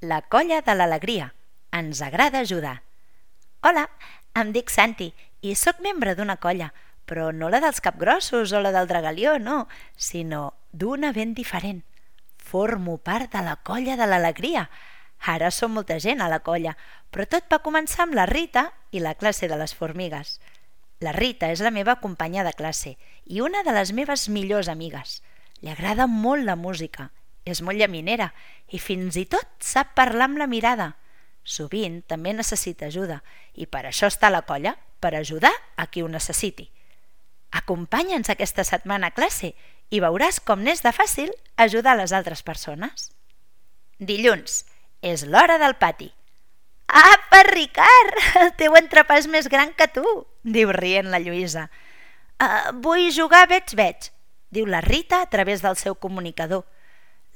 La colla de l'alegria. Ens agrada ajudar. Hola, em dic Santi i sóc membre d'una colla, però no la dels capgrossos o la del dragalió, no, sinó d'una ben diferent. Formo part de la colla de l'alegria. Ara som molta gent a la colla, però tot va començar amb la Rita i la classe de les formigues. La Rita és la meva companya de classe i una de les meves millors amigues. Li agrada molt la música, és molt llaminera i fins i tot sap parlar amb la mirada. Sovint també necessita ajuda i per això està a la colla, per ajudar a qui ho necessiti. Acompanya'ns aquesta setmana a classe i veuràs com n'és de fàcil ajudar les altres persones. Dilluns, és l'hora del pati. Apa, Ricard, el teu entrepà és més gran que tu, diu rient la Lluïsa. Vull jugar a veig, diu la Rita a través del seu comunicador.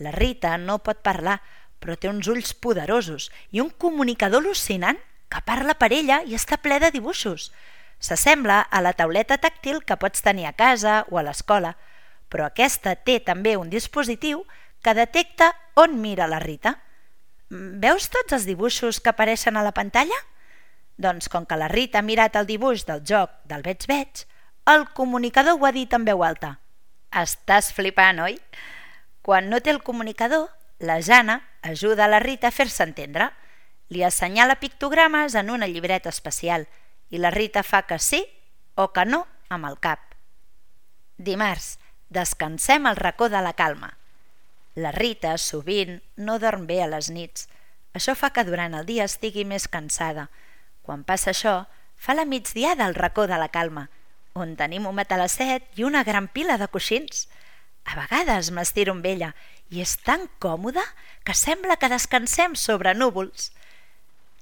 La Rita no pot parlar, però té uns ulls poderosos i un comunicador al·lucinant que parla per ella i està ple de dibuixos. S'assembla a la tauleta tàctil que pots tenir a casa o a l'escola, però aquesta té també un dispositiu que detecta on mira la Rita. Veus tots els dibuixos que apareixen a la pantalla? Doncs com que la Rita ha mirat el dibuix del joc del veig, el comunicador ho ha dit en veu alta. Estàs flipant, oi? Quan no té el comunicador, la Jana ajuda a la Rita a fer-se entendre. Li assenyala pictogrames en una llibreta especial i la Rita fa que sí o que no amb el cap. Dimarts, descansem al racó de la calma. La Rita sovint no dorm bé a les nits. Això fa que durant el dia estigui més cansada. Quan passa això, fa la migdiada al racó de la calma, on tenim un matalasset i una gran pila de coixins. A vegades m'estiro amb ella i és tan còmoda que sembla que descansem sobre núvols.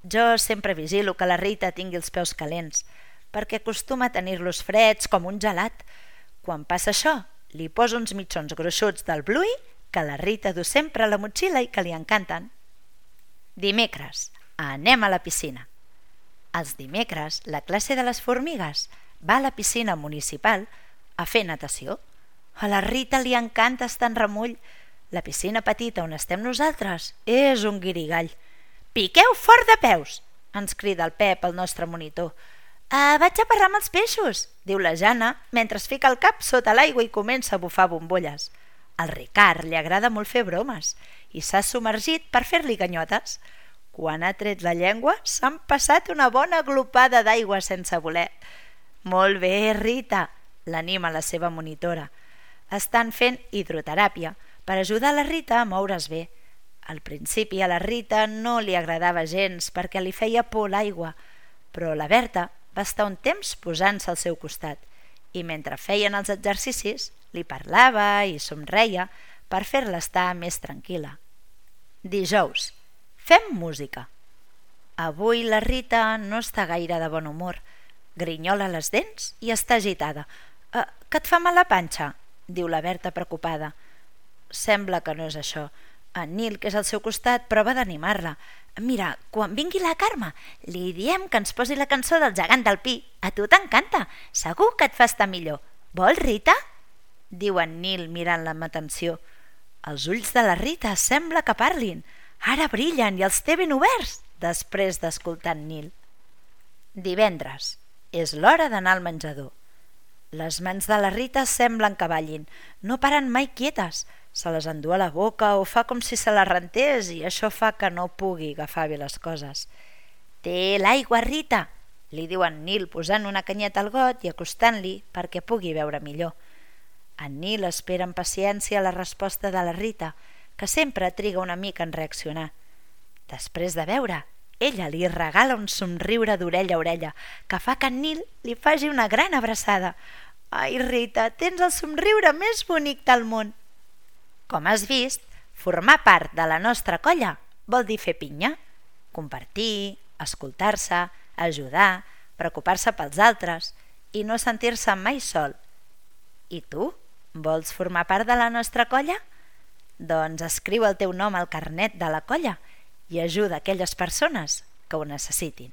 Jo sempre vigilo que la Rita tingui els peus calents, perquè acostuma a tenir-los freds com un gelat. Quan passa això, li poso uns mitjons gruixuts del Bluey que la Rita du sempre a la motxilla i que li encanten. Dimecres, anem a la piscina. Els dimecres, la classe de les formigues va a la piscina municipal a fer natació. A la Rita li encanta estar en remull. La piscina petita on estem nosaltres és un guirigall. Piqueu fort de peus, ens crida el Pep, el nostre monitor. Vaig a parlar amb els peixos, diu la Jana, mentre es fica el cap sota l'aigua i comença a bufar bombolles. Al Ricard li agrada molt fer bromes i s'ha submergit per fer-li ganyotes. Quan ha tret la llengua s'han passat una bona glopada d'aigua sense voler. Molt bé, Rita, l'anima la seva monitora. Estan fent hidroteràpia per ajudar la Rita a moure's bé. Al principi a la Rita no li agradava gens perquè li feia por l'aigua, però la Berta va estar un temps posant-se al seu costat i mentre feien els exercicis li parlava i somreia per fer-la estar més tranquil·la. Dijous, fem música. Avui la Rita no està gaire de bon humor. Grinyola les dents i està agitada. Que et fa mal la panxa? Diu la Berta preocupada. Sembla que no és això. En Nil, que és al seu costat, prova d'animar-la. Mira, quan vingui la Carme, li diem que ens posi la cançó del gegant del Pi. A tu t'encanta. Segur que et fa estar millor. Vols, Rita? Diu en Nil mirant-la amb atenció. Els ulls de la Rita sembla que parlin. Ara brillen i els té ben oberts, després d'escoltar en Nil. Divendres. És l'hora d'anar al menjador. Les mans de la Rita semblen que ballin. No paren mai quietes. Se les endú a la boca o fa com si se les rentés i això fa que no pugui agafar bé les coses. Té l'aigua, Rita, li diu en Nil posant una canyeta al got i acostant-li perquè pugui veure millor. En Nil espera amb paciència la resposta de la Rita, que sempre triga una mica en reaccionar. Després de veure, ella li regala un somriure d'orella a orella que fa que en Nil li faci una gran abraçada. Ai, Rita, tens el somriure més bonic del món. Com has vist, formar part de la nostra colla vol dir fer pinya, compartir, escoltar-se, ajudar, preocupar-se pels altres i no sentir-se mai sol. I tu, vols formar part de la nostra colla? Doncs escriu el teu nom al carnet de la colla i ajuda aquelles persones que ho necessitin.